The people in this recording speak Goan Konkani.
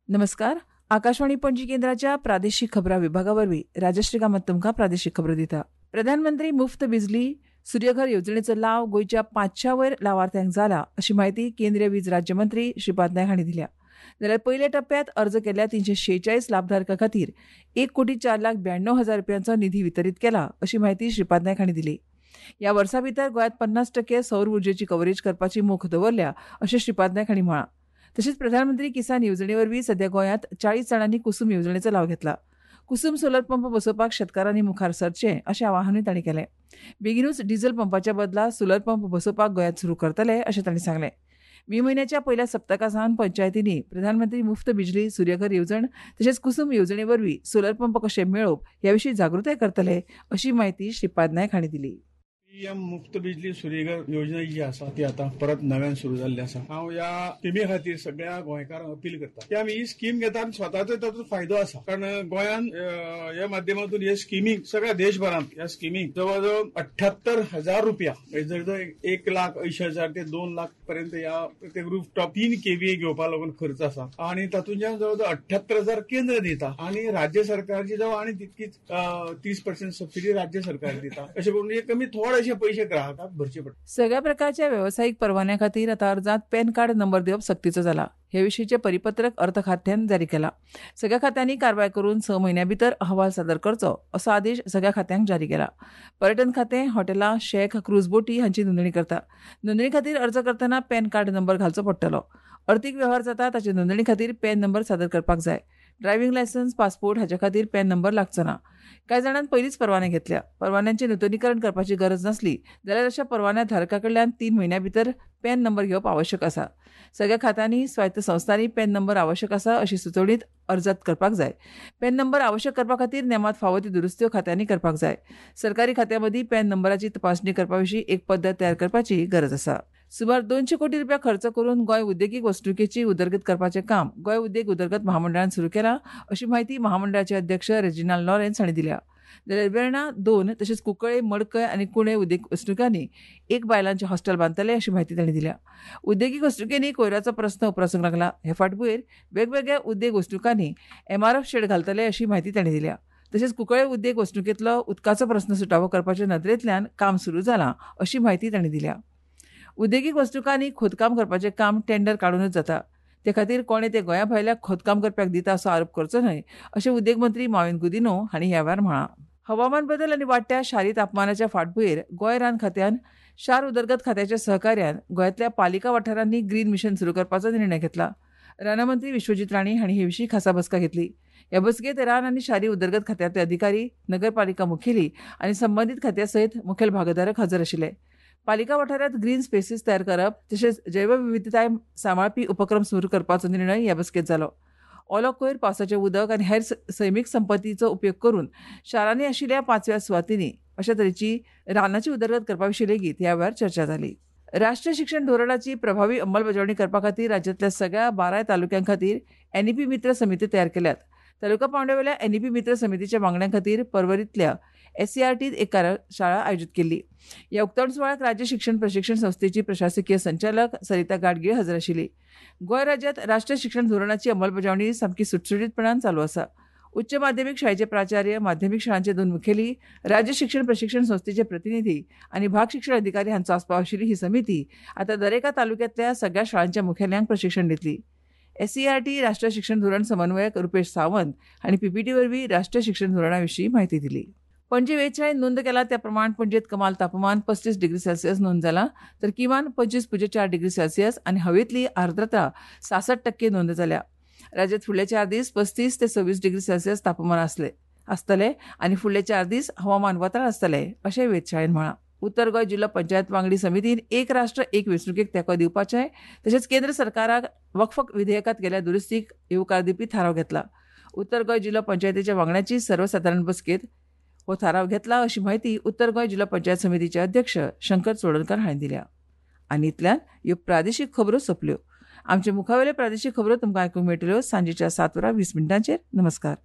नमस्कार. आकाशवाणी पणजी केंद्राच्या प्रादेशिक खबरां विभागा वरवीं राजश्री कामत तुमकां प्रादेशिक खबरो दिता. प्रधानमंत्री मुफ्त बिजली सूर्यघर येवजणेचो लाव गोंयच्या 500 वयर लावार्थ्यांक जाला अशी म्हायती केंद्रीय वीज राज्यमंत्री श्रीपाद नायक हांणी दिल्या. जाल्यार पयल्या टप्प्यात अर्ज केल्ल्या 346 लाभधारकां खातीर 1,04,92,000 रुपयांचो निधी वितरीत केला अशी म्हायती श्रीपाद नायक हांणी दिली. ह्या वर्सा भितर गोंयांत 50% सौर उर्जेची कव्हरेज करपाची मोख दवरल्या अशें श्रीपाद नायक हांणी म्हळां. तशेंच प्रधानमंत्री किसान येवजणे वरवीं सध्या गोंयांत 40 जाणांनी कुसूम येवजणेचो लाव घेतला. कुसूम सोलर पंप बसोवपाक शेतकारांनी मुखार सरचें अशें आवाहनूय तांणी केलें. बेगिनूच डिझल पंपाच्या बदला सोलर पंप बसोवपाक गोंयांत सुरू करतले अशें तांणी सांगलें. मे म्हयन्याच्या पयल्या सप्तका सावन पंचायतींनी प्रधानमंत्री मुफ्त बिजली सूर्यघर येवजण तशेंच कुसूम येवजणे वरवीं सोलर पंप कशे मेळोवप ह्या विशीं जागृताय करतले अशी म्हायती श्रीपाद नायक हांणी दिली. पीएम मुफ्त बिजली सूर्यघर योजना जी आसा ती आतां परत नव्यान सुरू जाल्ली आसा. हांव ह्या स्किमी खातीर सगळ्या गोंयकारांक अपील करता की आमी ही स्कीम घेता आनी स्वताचो तातूंत फायदो आसा, कारण गोंयान ह्या माध्यमातून हे स्किमीक सगळ्या देशभरांत ह्या स्किमीक जवळ जवळ 78,000 रुपया, जवळ 1,80,000 ते 2 लाख पर्यंत ह्या प्रत्येक रूफटॉप 3 kVA घेवपा लागून खर्च आसा आनी तातूंतल्यान जवळ जवळ 78,000 केंद्र दिता आनी राज्य सरकारची जवळ आनी तितकीच 30% सबसिडी राज्य सरकार दिता. अशें करून हे कमी थोडे पैसे ग्राहकांक भरचे पडटा. सगळ्या प्रकारच्या वेवसायीक परवान्या खातीर आतां अर्जांत पॅन कार्ड नंबर दिवप सक्तीचो जाला. हे विशींचें परिपत्रक अर्थ खात्यान जारी केलां. सगळ्या खात्यांनी कारवाय करून 6 म्हयन्यां भितर अहवाल सादर करचो असो आदेश सगळ्या खात्यांक जारी केला. पर्यटन खातें हॉटेलां, शॅक, क्रूज बोटी हांची नोंदणी करता. नोंदणी खातीर अर्ज करतना पॅन कार्ड नंबर घालचो पडटलो. अर्थीक वेव्हार जाता ताचे नोंदणी खातीर पॅन नंबर सादर करपाक जाय. ड्रायव्हिंग लायसन्स, पासपोर्ट हाच्या खातीर पॅन नंबर लागचो ना. कांय जाणांनी पयलींच परवाने घेतल्या. परवान्यांचें नुतनीकरण करपाची गरज नासली जाल्यार अशा परवान्या धारका कडल्यान 3 म्हयन्यां भितर पॅन नंबर घेवप आवश्यक आसा. सगळ्या खात्यांनी, स्वायत्त संस्थांनी पॅन नंबर आवश्यक आसा अशी सुचोवणी अर्जात करपाक जाय. पॅन नंबर आवश्यक करपा खातीर नेमांत फावो ती दुरुस्त्यो खात्यांनी करपाक जाय. सरकारी खात्यां मदीं पॅन नंबराची तपासणी करपा विशीं एक पद्दत तयार करपाची गरज आसा. सुमार 200 कोटी रुपया खर्च करून गोंय उद्देगीक वसणुकेची उदरगत करपाचें काम गोंय उद्देग उदरगत महामंडळान सुरू केलां अशी म्हायती महामंडळाचे अध्यक्ष रेजिनाल्ड लॉरेन्स हांणी दिल्या. जाल्यार वेर्णा 2 तशेंच कुंकळे, मडकय आनी कुणे उद्देग वसणुकांनी 1 बायलांचें हॉस्टेल बांदतले अशी म्हायती तांणी दिल्या. उद्देगीक वसणुकेंनी कोयराचो प्रस्न उप्रासूंक लागला. हे फाटभूंयेर वेगवेगळ्या उद्देग वसणुकांनी MRF शेड घालतले अशी म्हायती तांणी दिल्या. तशेंच कुंकळे उद्देग वसणुकेंतलो उदकाचो प्रस्न सुटावो करपाच्या नदरेंतल्यान काम सुरू जालां अशी म्हायती तांणी दिल्या. उद्देगीक वसणुकांनी खोदकाम करपाचें काम टेंडर काडूनच जाता. ते खातीर कोणें ते गोंया भायल्या खोदकाम करप्याक दिता असो आरोप करचो न्हय अशें उद्देग मंत्री माविन गुदिन्हो हांणी ह्या वेळार म्हळां. हवामान बदल आनी वाडट्या शारी तापमानाच्या फाटभूंयेर गोंय रान खात्यान शार उदरगत खात्याच्या सहकार्यान गोंयांतल्या पालिका वाठारांनी ग्रीन मिशन सुरू करपाचो निर्णय घेतला. रानमंत्री विश्वजीत राणे हांणी हे विशीं खासा बसका घेतली. ह्या बसकेंत रान आनी शारी उदरगत खात्यांतले अधिकारी, नगरपालिका मुखेली आनी संबंदीत खात्या सयत मुखेल भागधारक हजर आशिल्ले. पालिका वाठारांत ग्रीन स्पेसीस तयार करप तशेंच जैवविविधताय सांबाळपी उपक्रम सुरू करपाचो निर्णय ह्या बसकेंत जालो. ओलो कोयर, पावसाचें उदक आनी हेर सैमीक संपत्तीचो उपयोग करून शारांनी आशिल्ल्या 5व्या सुवातींनी अशा तरेची रानाची उदरगत करपा विशीं लेगीत ह्या वेळार चर्चा जाली. राष्ट्रीय शिक्षण धोरणाची प्रभावी अंमलबजावणी करपा खातीर राज्यांतल्या सगळ्या 12 तालुक्यां खातीर NEP मित्र समिती तयार केल्यात. तालुका पांवड्यावेल्या NEP मित्र समितीच्या वांगड्यां खातीर पर्वरींतल्या SCRTत एक कार्यशाळा आयोजीत केल्ली. ह्या उक्तावण सुवाळ्याक राज्य शिक्षण प्रशिक्षण संस्थेची प्रशासकीय संचालक सरिता गाडगीळ हजर आशिल्ली. गोंय राज्यांत राष्ट्रीय शिक्षण धोरणाची अंमलबजावणी सामकी सुटसुटीतपणान चालू आसा. उच्च माध्यमीक शाळेचे प्राचार्य, माध्यमीक शाळांचे 2 मुखेली, राज्य शिक्षण प्रशिक्षण संस्थेचे प्रतिनिधी आनी भाग शिक्षण अधिकारी हांचो आस्पाव आशिल्ली ही समिती आतां दरेका तालुक्यांतल्या सगळ्या शाळांच्या मुखेल्यांक प्रशिक्षण दितली. SCERT राष्ट्रीय शिक्षण धोरण समन्वयक रुपेश सावंत हांणी PPT वरवीं राष्ट्रीय शिक्षण धोरणा विशीं म्हायती दिली. पणजे वेधशाळेन नोंद केला त्या प्रमाण पणजेत कमाल तापमान 35 डिग्री सेल्सियस नोंद जाला, तर किमान 25.4 डिग्री सेल्सियस आनी हवेतली आर्द्रता 66% नोंद जाल्या. राज्यात फुडले 4 दीस 35 ते 26 डिग्री सेल्सियस तापमान आसतले आनी फुडले 4 दीस हवामान वताळ आसतले अशें वेधशाळेन म्हळां. उत्तर गोंय जिल्लो पंचायत वांगडी समितीन एक राष्ट्र एक वेंचणुकेक तेंको दिवपाचें तशेंच केंद्र सरकाराक वक्फ विधेयकांत केल्ल्या दुरुस्तीक येवकार दिवपी थाराव घेतला. उत्तर गोंय जिल्लो पंचायतीच्या वांगड्यांची सर्वसादारण बसकेंत हो थाराव घेतला अशी म्हायती उत्तर गोंय जिल्लो पंचायत समितीचे अध्यक्ष शंकर चोडणकर हांणी दिल्या. आनी इतल्यान ह्यो प्रादेशीक खबरो सोंपल्यो. आमचे मुखावेले प्रादेशीक खबरो तुमकां आयकूंक मेळटल्यो सांजेच्या 7:20. नमस्कार.